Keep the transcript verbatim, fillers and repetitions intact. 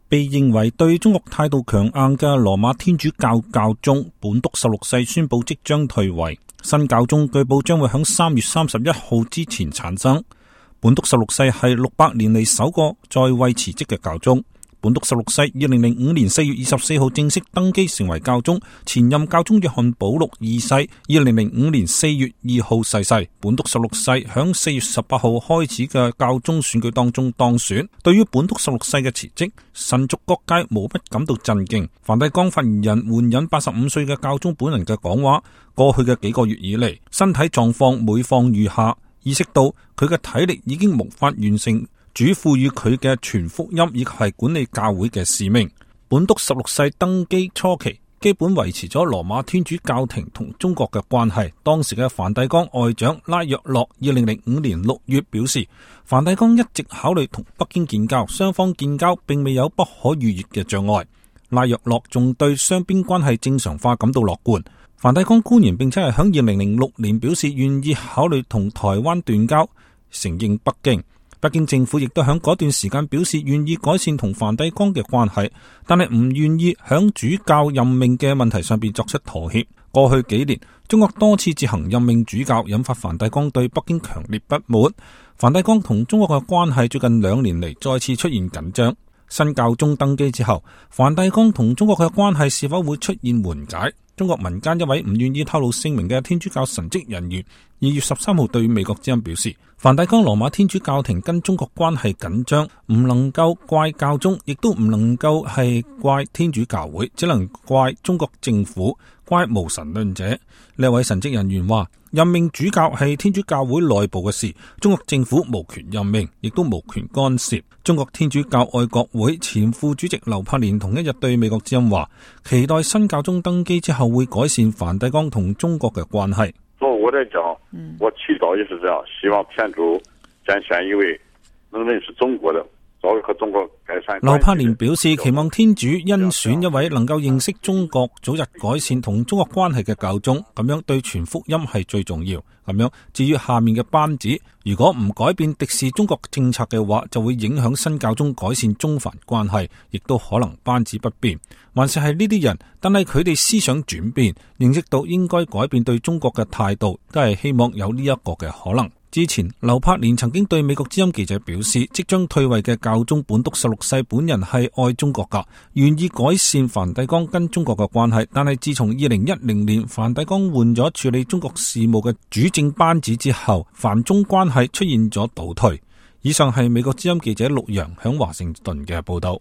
被認為對中國態度強硬嘅羅馬天主教教宗本篤十六世宣布即將退位，新教宗據報將會喺三月三十一號之前產生。本篤十六世係六百年嚟首個在位辭職嘅教宗。本篤十六世二零零五年四月二十四號正式登基成為教宗，前任教宗約翰保祿二世二零零五年四月二號逝世。本篤十六世響四月十八號開始嘅教宗選舉當中當選。對於本篤十六世嘅辭職，神族各界無不感到震驚。梵蒂岡發言人援引八十五歲嘅教宗本人嘅講話，過去嘅幾個月以嚟，身體狀況每況愈下，意識到佢嘅體力已經無法完成主賦予佢嘅傳福音以及係管理教會嘅使命。本篤十六世登基初期，基本維持咗羅馬天主教廷同中國嘅關係。當時嘅梵蒂岡外長拉約洛二零零五年六月表示，梵蒂岡一直考慮同北京建交，雙方建交並未有不可逾越嘅障礙。拉約洛仲對雙邊關係正常化感到樂觀。梵蒂岡官員並且係響二零零六年表示願意考慮同台灣斷交，承認北京。北京政府亦都喺嗰段時間表示願意改善同梵蒂岡嘅關係，但係唔願意響主教任命嘅問題上邊作出妥協。過去幾年，中國多次自行任命主教，引發梵蒂岡對北京強烈不滿。梵蒂岡同中國嘅關係最近兩年嚟再次出現緊張。新教宗登基之後，梵蒂岡同中國嘅關係是否會出現緩解？中國民間一位唔願意透露姓名嘅天主教神職人員二月十三號對美國之音表示，梵蒂岡羅馬天主教廷跟中國關係緊張，唔能夠怪教宗，亦都唔能夠係怪天主教會，只能怪中國政府，怪無神論者。呢位神職人員話，任命主教係天主教會內部嘅事，中國政府無權任命，亦都無權干涉。中國天主教愛國會前副主席劉柏年同一日對美國之音話，期待新教宗登基之後會改善梵蒂岡同中國嘅關係。作為我來講，我祈禱也是這樣，希望天主揀選一位能認識中國的，早日和中國改善。劉柏年表示，期望天主甄選一位能夠認識中國、早日改善同中國關係嘅教宗，咁樣對傳福音係最重要。咁樣至於下面嘅班子，如果唔改變敵視中國政策嘅話，就會影響新教宗改善中梵關係，亦都可能班子不變。還是係呢啲人，但係佢哋思想轉變，認識到應該改變對中國嘅態度，都係希望有呢一個嘅可能。之前劉柏年曾經對美國之音記者表示，即將退位嘅教宗本篤十六世本人係愛中國噶，願意改善梵蒂岡跟中國嘅關係。但係自從二零一零年梵蒂岡換咗處理中國事務嘅主政班子之後，梵中關係出現咗倒退。以上係美國之音記者陸洋響華盛頓嘅報道。